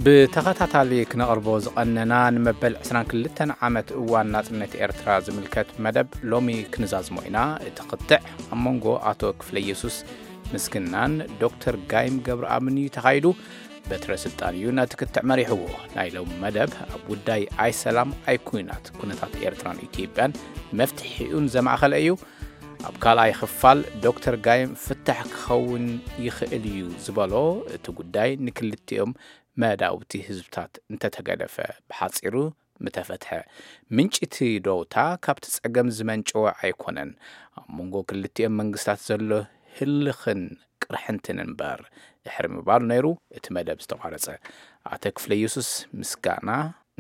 ብተኸታታሊ ክነቕርቦ ዝቐነና ንመበል ዕስራን ክልተን ዓመት እዋን ናጽነት ኤርትራ ዝምልከት መደብ ሎሚ ክንዛዝሞ ኢና። እቲ ክትዕ ኣብ መንጎ ኣቶ ክፍለየሱስ ምስግናን ዶክተር ጋይም ገብረኣብን እዩ ተኻይዱ። በትረ ስልጣን እዩ ነቲ ክትዕ መሪሕዎ። ናይ ሎሚ መደብ ኣብ ጉዳይ ኣይ ሰላም ኣይ ኩናት፣ ኩነታት ኤርትራን ኢትዮጵያን መፍትሒኡን ዘማእኸለ እዩ። ኣብ ካልኣይ ክፋል ዶክተር ጋይም ፍታሕ ክኸውን ይኽእል እዩ ዝበሎ እቲ ጉዳይ ንክልቲኦም መዳውብቲ ህዝብታት እንተተገደፈ ብሓጺሩ ምተፈትሐ። ምንጪ እቲ ደውታ ካብቲ ጸገም ዝመንጨወ ኣይኮነን። ኣብ መንጎ ክልቲኦም መንግስታት ዘሎ ህልኽን ቅርሕንትን እምበር ድሕሪ ምባሉ ነይሩ እቲ መደብ ዝተቋረጸ። ኣቶ ክፍለ የሱስ ምስጋና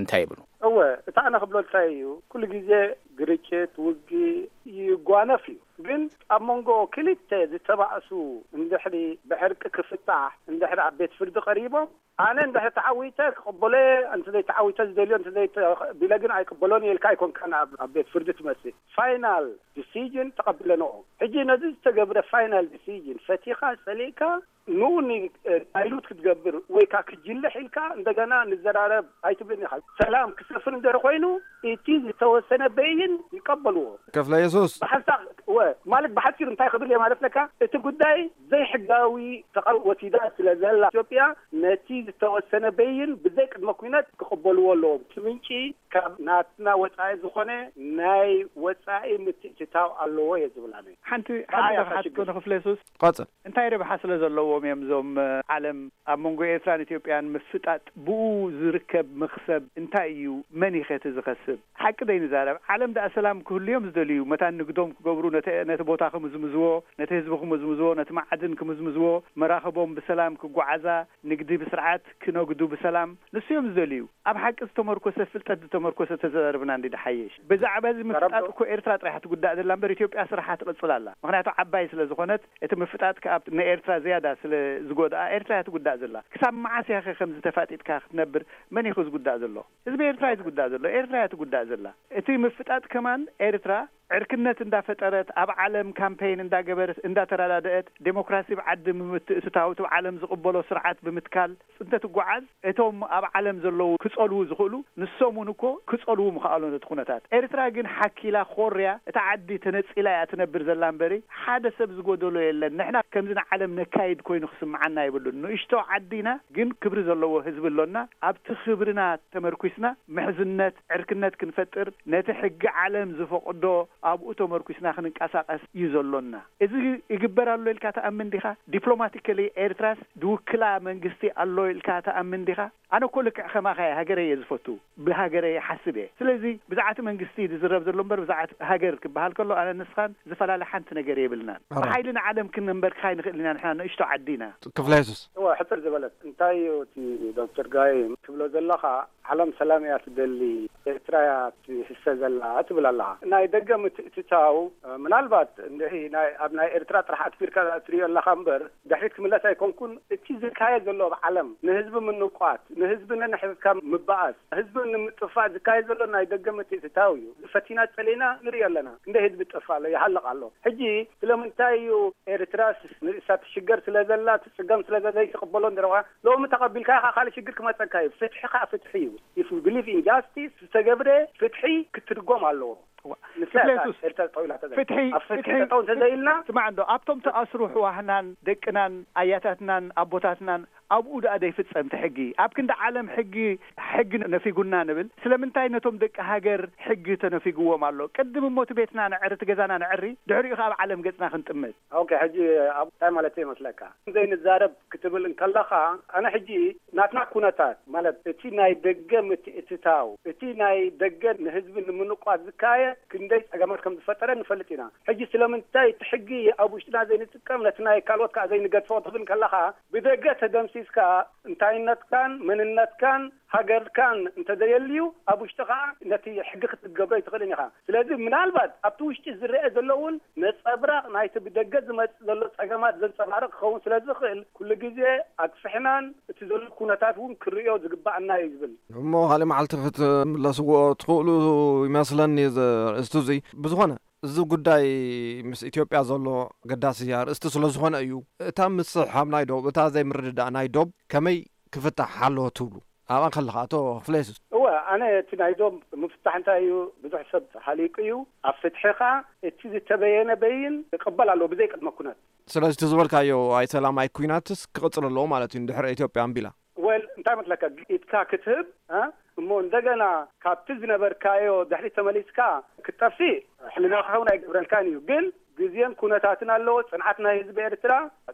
እንታይ ይብሉ? እወ፣ እቲ ኣነ ክብሎ እንታይ እዩ፣ ኩሉ ግዜ ግርጭት፣ ውግእ ይጓነፍ እዩ። ግን ኣብ መንጎ ክልተ ዝተባእሱ እንድሕሪ ብዕርቂ ክፍታሕ፣ እንድሕሪ ኣብ ቤት ፍርዲ ቀሪቦም፣ ኣነ እንድሕሪ ተዓዊተ ክቕበሎ እየ፣ እንተ ዘይተዓዊተ ዝደልዮ፣ እንተ ዘይተ-፣ ቢለ ግን ኣይቅበሎን እየ ኢልካ ኣይኮንካን ኣብ፣ ኣብ ቤት ፍርዲ ትመጽእ። ፋይናል ዲሲዥን ተቐቢለንኦ። ሕጂ ነዚ ዝተገብረ ፋይናል ዲሲዥን ፈቲኻ ጸሊእካ ንኡ ኒ-፣ ዳይሉት ክትገብር ወይ ከኣ ክጅልሕ ኢልካ እንደገና ንዘራረብ ኣይትብልን ኢኻ። ሰላም ክሰፍን እንድሕሪ ኮይኑ እቲ ዝተወሰነ በይን ይቀበልዎ። ከፍለ የሱስ። ብሓንሳእ ወ-፣ ማለት ብሓጺሩ እንታይ ክብል እየ ማለት ለካ፣ እቲ ጉዳይ ዘይሕጋዊ ተቓውሞ ወሲዳ ስለ ዘላ ኢትዮጵያ ነቲ ዝተወሰነ በይን ብዘይ ቅድመ ኩነት ክቕበልዎ ኣለዎም። እቲ ምንጪ ካብ ናትና ወጻኢ ዝኾነ ናይ ወጻኢ ምትእትታው ኣለዎ እየ ዝብል ኣነ። ሓንቲ ብኣይ ሓንቲ ኣታ ክሓትኮ ሽግር። ንክፍለ የሱስ። ቀጽል። እንታይ ረብሓ ስለ ዘለዎም እዮም እዞም፣ እ፣ ዓለም ኣብ መንጎ ኤርትራን ኢትዮጵያን ምፍጣጥ? ብኡ ዝርከብ መኽሰብ እንታይ እዩ? መን ይኸ እቲ ዝኸስብ? ሓቂ ዘይንዛረብ። ዓለም ደኣ ሰላም ክህሉ እዮም ዝደልዩ። መታን ንግዶም ክገብሩ፣ ነቲ፣ ነቲ ቦታ ክምዝምዝዎ፣ ነቲ ህዝቢ ክምዝምዝዎ፣ ነቲ መዓድን ክምዝምዝዎ፣ መራኽቦም ብሰላም ክጓዓዛ፣ ንግዲ ብስርዓት ክነግዱ ብሰላም፣ ንሱ እዮም ዝደልዩ። ኣብ ሓቂ ዝተመርኮሰ፣ ፍልጠት ዝተመርኮሰ ተዘራርብና እንዲ ድሓይሽ። ብዛዕባ እዚ ምፍጣጥ እኮ ኤርትራ ጥራይ እያ ትጉዳእ ዘላ እምበር ኢትዮጵያ ስራሓ ትቕጽል ኣላ። ምኽንያቱ ዓባይ ስለ ዝኾነት እቲ ምፍጣጥ ከኣ ንኤርትራ ዝያዳ ስለ ዝጎድኣ ኤርትራ እያ ትጉዳእ ዘላ። ክሳብ መዓስ እያ ከ ከምዚ ተፋጢጥካ ክትነብር? መን እዩ ዝጉዳእ ዘሎ? ህዝቢ ኤርትራ እዩ ዝጉዳእ ዘሎ። ኤርትራ እያ ትጉዳእ ዘላ። እቲ ምፍጣጥ ከማን ኤርትራ ዕርክነት እንዳፈጠረት፣ ኣብ ዓለም ካምፔይን እንዳገበረት፣ እንዳተረዳደአት፣ ዴሞክራሲ ብዓዲ ብምትእትታው፣ እቲ ዓለም ዝቕበሎ ስርዓት ብምትካል እንተትጓዓዝ፣ እቶም ኣብ ዓለም ዘለዉ ክጸልዉ ዝኽእሉ፣ ንሶም እውን እኮ ክጸልዉ ምኽኣሉ ነቲ ኩነታት። ኤርትራ ግን ሓኪላ ኮርያ፣ እታ ዓዲ ተነጺላ እያ ትነብር ዘላ እምበሪ፣ ሓደ ሰብ ዝጎደሎ የለን። ንሕና ከምዚ ንዓለም ነካይድ ኮይኑ ክስምዓና የብሉን። ንእሽቶ ዓዲ ኢና፣ ግን ክብሪ ዘለዎ ህዝቢ ኣሎና። ኣብቲ ክብርና ተመርኲስና ምሕዝነት፣ ዕርክነት ክንፈጥር፣ ነቲ ሕጊ ዓለም ዝፈቕዶ ኣብኡ ተመርኲስና ክንንቀሳቐስ እዩ ዘሎና። እዚ ይግበር ኣሎ ኢልካ ትኣምን ዲኻ? ዲፕሎማቲካሊ ኤርትራስ ዝውክላ መንግስቲ ኣሎ ኢልካ ትኣምን ዲኻ? ኣነ እኮ ልክዕ ከማኻ እየ፣ ሃገረይ እየ ዝፈቱ፣ ብሃገረይ ይሓስብ እየ። ስለዚ ብዛዕቲ መንግስቲ ዝዝረብ ዘሎ እምበር ብዛዕቲ ሃገር ክበሃል ከሎ ኣነ ንስኻን ዝፈላለ ሓንቲ ነገር የብልናን። ኣራ። ብሓይሊ ንዓለም ክንንበርክኻ ኣይንኽእልን ኢና፣ ንሕና ንእሽቶ ዓዲ ኢና። ክፍለ የሱስ። እወ፣ ሕጽር ዝበለት እንታይ እዩ እቲ ዶክተር ጋይም ትብሎ ዘለኻ? ዓለም ሰላም እያ ትደሊ፣ ኤርትራ እያ ትህሰ ዘላ ትብል ኣለኻ። ናይ ደገ ምትእትታው፣ ምናልባት እንድዒ ናይ፣ ኣብ ናይ ኤርትራ ጥራሕ ኣትኪርካ ትሪኦ ኣለኻ እምበር፣ ድሕሪት ክምለስ ኣይኮንኩን። እቲ ዝካየድ ዘሎ ኣብ ዓለም ንህዝቢ ምንቋት፣ ንህዝቢ ነንሕድሕድካ ምባኣስ፣ ህዝቢ ንምጥፋእ ዝካየድ ዘሎ ናይ ደገ ምትእትታው እዩ። ፈቲና ጸሊእና ንሪኦ ኣለና። ክንደይ ህዝቢ ይጠፍእ ኣሎ፣ ይሃልቕ ኣሎ። ሕጂ ስለምንታይ እዩ ኤርትራስ ንርእሳ ትሽገር ስለ ዘላ፣ ትጽገም ስለ ዘላ ዘይትቕበሎ እንድረዋ፣ ሎሚ ተቐቢልካ ኢኻ ካልእ ሽግር ክመጸካ እዩ። ፍትሒ ከኣ ፍትሒ እዩ። If we believe in justice፣ ዝተገብረ ፍትሒ ክትርጎም ኣለዎ። እዋ፣ ንሳ ክፍለ እያ የሱስ፣ ኤርትራ ጠው ኢላ ተዘ-፣ ፍትሒ፣ ኣብ ፍትሒ ፍትሒ፣ ጠው እንተዘይልና፣ ስማዕ እንዶ፣ ኣብቶም ተኣስሩ ኣሕዋትናን ደቅናን ኣያታትናን ኣቦታትናን ኣብኡ ደኣ ዘይፍጸም እቲ ሕጊ? ኣብ ክንዲ ዓለም ሕጊ፣ ሕጊ ነፊጉና ንብል። ስለምንታይ ነቶም ደቂ ሃገር ሕጊ ተነፊግዎም ኣሎ? ቅድም እሞ እቲ ቤትና ነዕሪ፣ እቲ ገዛና ነዕሪ፣ ድሕሪኡ ከኣ ኣብ ዓለም ገጽና ክንጥምት። ኦኬ፣ ሕጂ ኣብ እንታይ ማለት ይመስለካ? ዘይንዛረብ ክትብል እንከለኻ፣ ኣነ ሕጂ ናትና ኩነታት፣ ማለት እቲ ናይ ደገ ምትእትታው፣ እቲ ናይ ደገ ንህዝቢ ንምንቋት ዝካየድ ክንደይ ጸገማት ከም ዝፈጠረ ንፈልጥ ኢና። ሕጂ ስለምንታይ እቲ ሕጊ ኣብ ውሽጥና ዘይንጥቀም፣ ነቲ ናይ ካልኦት ከኣ ዘይንገድፎ ክትብል ከለኻ፣ ብደገ ተደምሲስካ እንታይነትካን መንነትካን ሃገርካን እንተዘየልዩ፣ ኣብ ውሽጢ ከኣ ነቲ ሕጊ ክትገብሮ ኣይትኽእልን ኢኻ። ስለዚ ምናልባት ኣብቲ ውሽጢ ዝረአ ዘሎ እውን ነጸብራቕ ናይቲ ብደገ ዝመጽእ ዘሎ ጸገማት ዘንጸባርቕ ክኸውን ስለ ዝኽእል፣ ኩሉ ግዜ ኣግፍሕናን እቲ ዘሎ ኩነታት እውን ክርእዮ ዝግባኣና እዩ ዝብል። እሞ ካልእ መዓልቲ ክትምለስዎ ትኽእሉ ይመስለኒ እዚ ኣርእስቲ እዚ። ብዝኾነ፣ እዚ ጉዳይ ምስ ኢትዮጵያ ዘሎ ኣገዳሲ ኣርእስቲ ስለ ዝኾነ እዩ። እታ ምስሕሓብ ናይ ዶብ፣ እታ ዘይምርድዳእ ናይ ዶብ ከመይ ክፍታሕ ኣለዎ ትብሉ? ኣብኣ ከለኻ ኣቶ ክፍለየሱስ? እወ፣ ኣነ እቲ ናይ ዶብ ምፍታሕ እንታይ እዩ፣ ብዙሕ ሰብ ሃሊቁ እዩ። ኣብ ፍትሒ ኸኣ እቲ ዝተበየነ በይን ይቕበል ኣለዎ ብዘይ ቅድመ ኩነት። ስለዚ እቲ ዝበልካዮ ኣይ ሰላም ኣይ ኩናትስ ክቕጽል ኣለዎ ማለት እዩ፣ እንድሕር ኢትዮጵያ ኣንቢላ። ወል እንታይ መስለካ፣ ኢድካ ክትህብ እ? እሞ እንደገና ካብቲ ዝነበርካዮ ድሕሪት ተመሊስካ ክትጠፍእ ሕልናኻ እውን ኣይገብረልካን እዩ። ግን ግዜን ኩነታትን ኣለዎ። ጽንዓት ናይ ህዝቢ ኤርትራ፣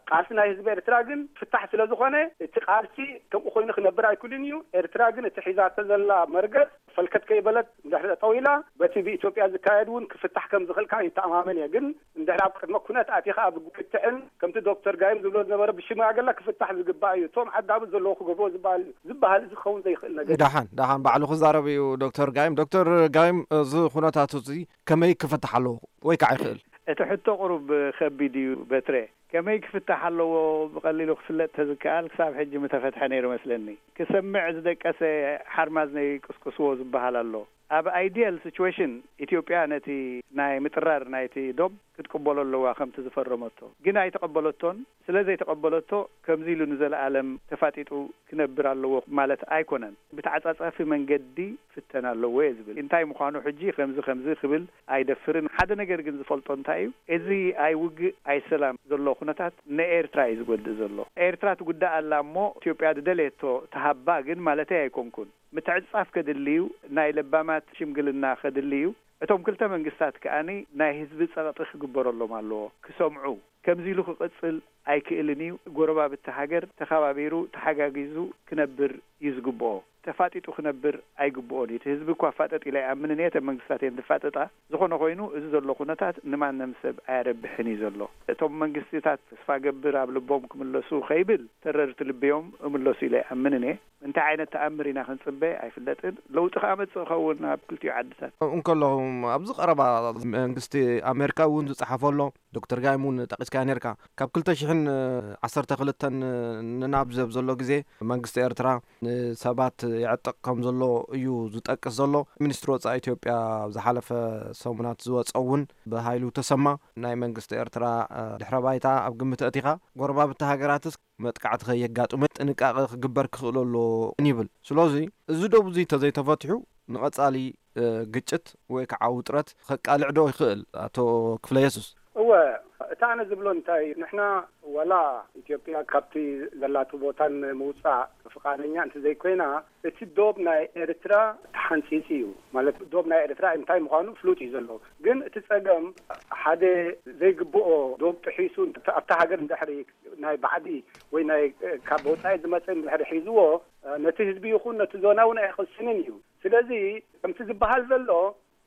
ቃልሲ ናይ ህዝቢ ኤርትራ ግን ፍታሕ ስለ ዝኾነ እቲ ቃልሲ ከምኡ ኮይኑ ክነብር ኣይክእልን እዩ። ኤርትራ ግን እቲ ሒዛቶ ዘላ መርገጽ ፈልከት ከይበለት እንድሕሪ ጠጠው ኢላ በቲ ብኢትዮጵያ ዝካየድ እውን ክፍታሕ ከም ዝኽእል ከዓ ይተኣማመን እየ። ግን እንድሕር ኣብ ቅድመ ኩነት ኣቲኻ ኣብ ክትዕን ከምቲ ዶክተር ጋይም ዝብሎ ዝነበረ ብሽማግለ ክፍታሕ ዝግባእ እዩ። እቶም ዓዳብት ዘለዎ ክገብርዎ ዝበሃል ዝበሃል እዚ ክኸውን ዘይኽእል ነገር እዩ። ደሓን ደሓን ባዕሉ ክዛረብ እዩ ዶክተር ጋይም። ዶክተር ጋይም፣ እዚ ኩነታት እዚ ከመይ ክፍታሕ ኣለዎ ወይ ከዓ ይኽእል? እቲ ሕቶ ቁሩብ ከቢድ እዩ በትረ። ከመይ ክፍታሕ ኣለዎ ብቐሊሉ ክፍለጥ ተዝከኣል ክሳብ ሕጂ ምተፈትሐ ነይሩ መስለኒ። ክሰምዕ ዝደቀሰ ሓርማዝ ነይቅስቅስዎ ዝበሃል ኣሎ። ኣብ ኣይዲያል ሲቹዌሽን ኢትዮጵያ ነቲ ናይ ምጥራር ናይቲ ዶብ ክትቅበሎ ኣለዋ ከምቲ ዝፈረመቶ። ግን ኣይተቐበለቶን። ስለ ዘይተቐበለቶ ከምዚ ኢሉ ንዘለኣለም ተፋጢጡ ክነብር ኣለዎ ማለት ኣይኮነን። ብተዓጻጻፊ መንገዲ ፍተን ኣለዎ እየ ዝብል። እንታይ ምዃኑ ሕጂ ከምዚ ከምዚ ክብል ኣይደፍርን። ሓደ ነገር ግን ዝፈልጦ እንታይ እዩ፣ እዚ ኣይ ውግእ ኣይ ሰላም ዘሎ ኩነታት ንኤርትራ እዩ ዝጎድእ ዘሎ። ኤርትራ ትጉዳእ ኣላ እሞ ኢትዮጵያ ዝደለየቶ ትሃባ ግን ማለተይ ኣይኮንኩን። ምትዕጽጻፍ ከድሊ እዩ፣ ናይ ለባማት ሽምግልና ከድሊ እዩ። እቶም ክልተ መንግስታት ከኣኒ ናይ ህዝቢ ጸቕጢ ክግበረሎም ኣለዎ፣ ክሰምዑ። ከምዚ ኢሉ ክቕጽል ኣይክእልን እዩ። ጎረባብቲ ሃገር ተኸባቢሩ ተሓጋጊዙ ክነብር እዩ ዝግብኦ። ተፋጢጡ ክነብር ኣይግብኦን እዩ። እቲ ህዝቢ እኳ ፋጠጥ ኢለ ኣይኣምንን እየ። እተን መንግስታት እየን ዝፋጠጣ። ዝኾነ ኮይኑ እዚ ዘሎ ኩነታት ንማንም ሰብ ኣየረብሕን እዩ ዘሎ። እቶም መንግስታት ተስፋ ገብር ኣብ ልቦም ክምለሱ ከይብል ተረርቲ ልቢ እዮም እምለሱ ኢለ ኣይኣምንን እየ። እንታይ ዓይነት ተኣምር ኢና ክንጽበ ኣይፍለጥን። ለውጢ ከኣ መጽእ ኸውን ኣብ ክልቲኡ ዓድታት። እንከለኹም ኣብዚ ቀረባ መንግስቲ ኣሜሪካ እውን ዝጸሓፈ ኣሎ። ዶክተር ጋይም እውን ጠቂስካዮ ነርካ። ካብ ክልተ ሽሕን ዓሰርተ ክልተን ንናብ ዘብ ዘሎ ግዜ መንግስቲ ኤርትራ ንሰባት የዕጥቕ ከም ዘሎ እዩ ዝጠቅስ ዘሎ። ሚኒስትሪ ወጻኢ ኢትዮጵያ ኣብ ዝሓለፈ ሰሙናት ዝወጸ እውን ብሃይሉ ተሰማ ናይ መንግስቲ ኤርትራ ድሕረ ባይታ ኣብ ግምት ኣእቲኻ፣ ጎረባብቲ ሃገራትስ መጥቃዕቲ ከየጋጥሞ ጥንቃቐ ክግበር ክኽእል ኣለዎ ይብል። ስለዚ እዚ ዶብ እዚ ተዘይተፈትሑ ንቐጻሊ ግጭት ወይ ከዓ ውጥረት ከቃልዕ ዶ ይኽእል? ኣቶ ክፍለ የሱስ። እወ፣ እቲ ኣነ ዝብሎ እንታይ እዩ፣ ንሕና ወላ ኢትዮጵያ ካብቲ ዘላቱ ቦታ ንምውፃእ ፍቃደኛ እንተ ዘይኮይና፣ እቲ ዶብ ናይ ኤርትራ ተሓንፂፂ እዩ። ማለት ዶብ ናይ ኤርትራ እንታይ ምዃኑ ፍሉጥ እዩ ዘሎ። ግን እቲ ፀገም ሓደ ዘይግብኦ ዶብ ጥሒሱ ኣብታ ሃገር እንድሕሪ ናይ ባዕዲ ወይ ናይ ካብ ወፃኢ ዝመፀ እንድሕሪ ሒዝዎ፣ ነቲ ህዝቢ ይኹን ነቲ ዞና እውን ኣይቕስንን እዩ። ስለዚ ከምቲ ዝበሃል ዘሎ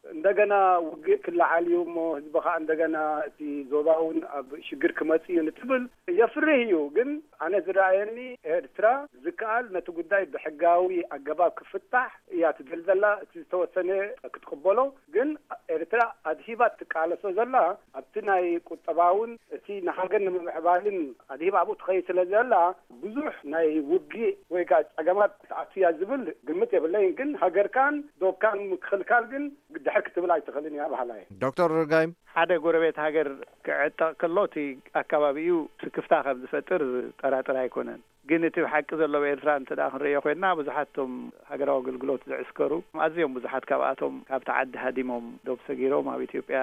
እንደገና ውግእ ክለዓል እዩ እሞ ህዝቢ ከዓ እንደገና እቲ ዞባ እውን ኣብ ሽግር ክመፅእ እዩ ንትብል የፍርህ እዩ። ግን ኣነ ዝረኣየኒ ኤርትራ ዝከኣል ነቲ ጉዳይ ብሕጋዊ ኣገባብ ክፍታሕ እያ ትደል ዘላ። እቲ ዝተወሰነ ክትቅበሎ፣ ግን ኤርትራ ኣድሂባ ትቃለሶ ዘላ ኣብቲ ናይ ቁጠባውን እቲ ንሃገር ንምምዕባልን ኣድሂባ ኣብኡ ትኸይድ ስለ ዘላ ብዙሕ ናይ ውግእ ወይ ከዓ ጸገማት ትኣቱ እያ ዝብል ግምት የብለይን። ግን ሃገርካን ዶብካን ምክልካል ግን ድሕር ክትብል ኣይትኽእልን እያ በሃላይ። ዶክተር ጋይም። ሓደ ጎረቤት ሃገር ክዕጠቕ ከሎ እቲ ኣካባቢኡ ስክፍታ ከም ዝፈጥር ዝጠራጥር ኣይኮነን። ግን እቲ ብሓቂ ዘሎ ኣብ ኤርትራ እንተ ደኣ ክንርእዮ ኮይንና፣ ብዙሓት እቶም ሃገራዊ ኣገልግሎት ዝዕስከሩ፣ ኣዝዮም ብዙሓት ካብኣቶም ካብቲ ዓዲ ሃዲሞም ዶብ ሰጊሮም ኣብ ኢትዮጵያ፣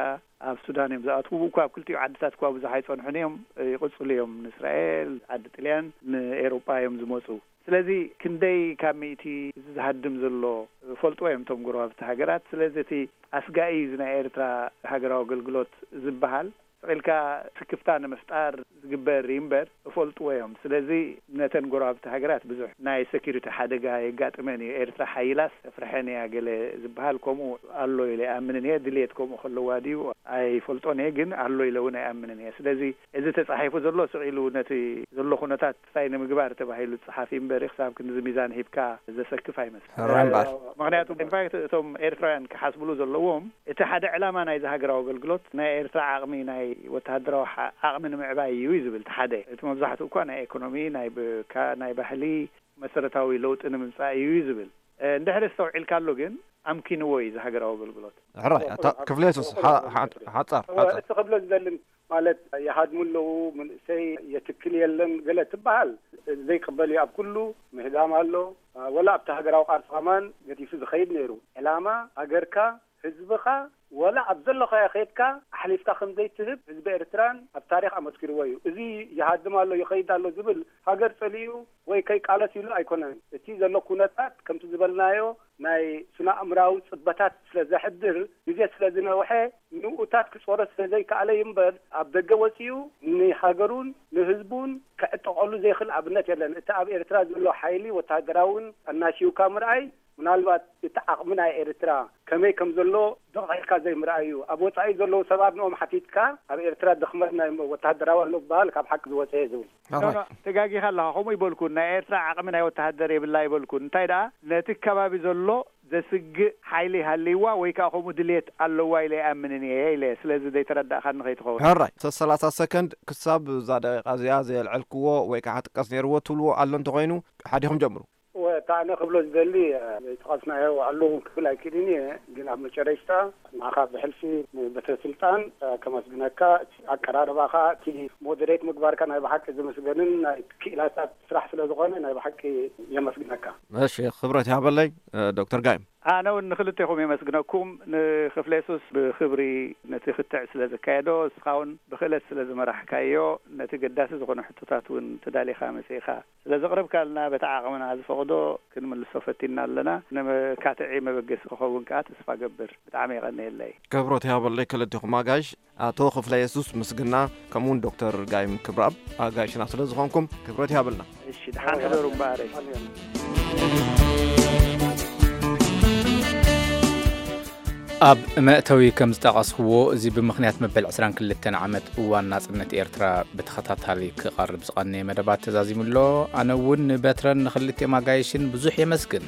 ኣብ ሱዳን እዮም ዝኣትዉ። እኳ ኣብ ክልቲኡ ዓድታት እኳ ብዙሕ ኣይጸንሑን እዮም፣ ይቕጽሉ እዮም። ንእስራኤል፣ ዓዲ ጥልያን፣ ንኤውሮጳ እዮም ዝመጹ። ስለዚ ክንደይ ካብ ሚእቲ እዚ ዝሃድም ዘሎ ፈልጥዎ እዮም እቶም ጎረባብቲ ሃገራት። ስለዚ እቲ ኣስጋኢ እዩ እዚ ናይ ኤርትራ ሃገራዊ ኣገልግሎት ዝበሃል። ስቕ ኢልካ ስክፍታ ንምፍጣር ዝግበር እዩ እምበር እፈልጥዎ እዮም። ስለዚ ነተን ጎረባብቲ ሃገራት ብዙሕ ናይ ሴኩሪቲ ሓደጋ የጋጥመን እዩ። ኤርትራ ሓይላስ ተፍርሐን እያ ገለ ዝበሃል ከምኡ ኣሎ ኢለ ኣይኣምንን እየ። ድልየት ከምኡ ከለዋ ድዩ ኣይፈልጦን እየ፣ ግን ኣሎ ኢለ እውን ኣይኣምንን እየ። ስለዚ እዚ ተጻሒፉ ዘሎ ስቕ ኢሉ ነቲ ዘሎ ኩነታት እንታይ ንምግባር ተባሂሉ ዝጸሓፍ እዩ እምበር ክሳብ ክንድዚ ሚዛን ሂብካ ዘሰክፍ ኣይመስልን። ሕራይ እምበኣር። ምኽንያቱ ኢንፋክት እቶም ኤርትራውያን ክሓስብሉ ዘለዎም እቲ ሓደ ዕላማ ናይዚ ሃገራዊ ኣገልግሎት ናይ ኤርትራ ዓቕሚ ናይ ወተሃደራዊ ሓ- ዓቕሚ ንምዕባይ እዩ እዩ ዝብል እቲ ሓደ። እቲ መብዛሕትኡ እኳ ናይ ኤኮኖሚ፣ ናይ ብ- ካ- ናይ ባህሊ መሰረታዊ ለውጢ ንምምጻእ እዩ እዩ ዝብል። እንድሕር ኣስተውዒልካሉ ግን ኣምኪንዎ እዩ እዚ ሃገራዊ ኣገልግሎት። ሕራይ ኣታ ክፍለ የሱስ ሓ- ሓ- ሓጻር እወ፣ ሓጻር። እቲ ክብሎ ዝደልን ማለት ይሃድሙ ኣለዉ፣ መንእሰይ የትክል የለን ገለ ትበሃል ዘይቅበል እዩ። ኣብ ኩሉ ምህዳም ኣሎ። ወላ ኣብቲ ሃገራዊ ቃልሲ ከማን ገዲፉ ዝኸይድ ነይሩ። ዕላማ ሃገርካ፣ ህዝብኻ፣ ወላ ኣብ ዘለኻዮ ከይድካ ኣሕሊፍካ ከም ዘይትህብ ህዝቢ ኤርትራን ኣብ ታሪኽ ኣመስኪርዎ እዩ። እዚ ይሃድም ኣሎ፣ ይኸይድ ኣሎ ዝብል ሃገር ጸሊኡ ወይ ከይቃለስ ኢሉ ኣይኮነን። እቲ ዘሎ ኩነታት ከምቲ ዝበልናዮ ናይ ስነ ኣእምራዊ ጽበታት ስለ ዘሕድር፣ ግዜ ስለ ዝነውሐ፣ ንኡታት ክጾሮ ስለ ዘይከኣለ እዩ እምበር፣ ኣብ ደገ ወጺኡ ንሃገሩን ንህዝቡን ክዕጠቐሉ ዘይኽእል ኣብነት የለን። እቲ ኣብ ኤርትራ ዘሎ ሓይሊ ወተሃደራውን ኣናሽውካ ምርኣይ፣ ምናልባት እቲ ዓቕሚ ናይ ኤርትራ ከመይ ከም ዘሎ ደቕ ኢልካ ዘይምርኣይ እዩ። ኣብ ወጻኢ ዘለዉ ሰባት ንኦም ሓቲትካ፣ ኣብ ኤርትራ ድኽመት ናይ ወተሃደራዊ ኣሎ ዝበሃል ካብ ሓቂ ዝወጸ እዩ ዝብል። ኖ፣ ኖ፣ ተጋጊኻ ኣለኻ። ከምኡ ይበልኩን፣ ናይ ኤርትራ ዓቕሚ ናይ ወተሃደር የብላ ይበልኩን። እንታይ ደኣ፣ ነቲ ከባቢ ዘሎ ዘስግእ ሓይሊ ሃልይዋ ወይ ከኣ ከምኡ ድልየት ኣለዋ ኢለ ይኣምንን እየ ኢለ። ስለዚ ዘይተረዳእካኒ ከይትኸውን። ሕራይ፣ ሰላሳ ሰከንድ ክሳብ እዛ ደቂቃ እዚኣ ዘየልዐልክዎ ወይ ከዓ ክጥቀስ ነይርዎ ትብልዎ ኣሎ እንተኾይኑ፣ ሓዲኹም ጀምሩ። ወ-፣ እታ ኣነ ክብሎ ዝደሊ፣ እ፣ ዘይጠቐስናዮ ኣለዉ እውን ክብል ኣይክእልን እየ፣ ግን ኣብ መጨረሽታ ንዓኻ ብሕልፊ ንቤተ ስልጣን፣ እ፣ ከመስግነካ። እቲ ኣቀራርባኻ፣ እቲ ሞደሬት ምግባርካ ናይ ብሓቂ ዝምስገንን ናይ ክኢላታት ስራሕ ስለ ዝኾነ ናይ ብሓቂ የመስግነካ። እሺ፣ ክብረት ይሃበለይ፣ እ፣ ዶክተር ጋይም። ኣነ እውን ንክልቴኹም የመስግነኩም። ንክፍለ የሱስ ብክብሪ ነቲ ክትዕ ስለ ዘካየዶ፣ እስኻ እውን ብክእለት ስለ ዝመራሕካዮ፣ ነቲ ገዳሲ ዝኾነ ሕቶታት እውን ተዳሊኻ መጺእኻ ስለ ዘቕረብካልና፣ በቲ ዓቕምና ዝፈቕዶ ክንምልሶ ፈቲና ኣለና። ንመካትዒ መበገሲ ክኸውን ከኣ ተስፋ ገብር። ብጣዕሚ የቐንየለይ። ክብረት ይሃበለይ ክልቴኹም ኣጋይሽ፣ ኣቶ ክፍለ የሱስ ምስግና፣ ከምኡውን ዶክተር ጋይም ክብረኣብ ኣጋይሽና ስለ ዝኾንኩም ክብረት ይሃበልና። እሺ፣ ደሓን ሕደሩ እምበኣረይ። ኣብ መእተዊ ከም ዝጠቐስክዎ፣ እዚ ብምኽንያት መበል ዕስራን ክልተን ዓመት እዋን ናጽነት ኤርትራ ብተኸታታሊ ክቐርብ ዝቐነየ መደባት ተዛዚሙ ኣሎ። ኣነ እውን ንበትረን ንኽልቲኦም ኣጋይሽን ብዙሕ የመስግን።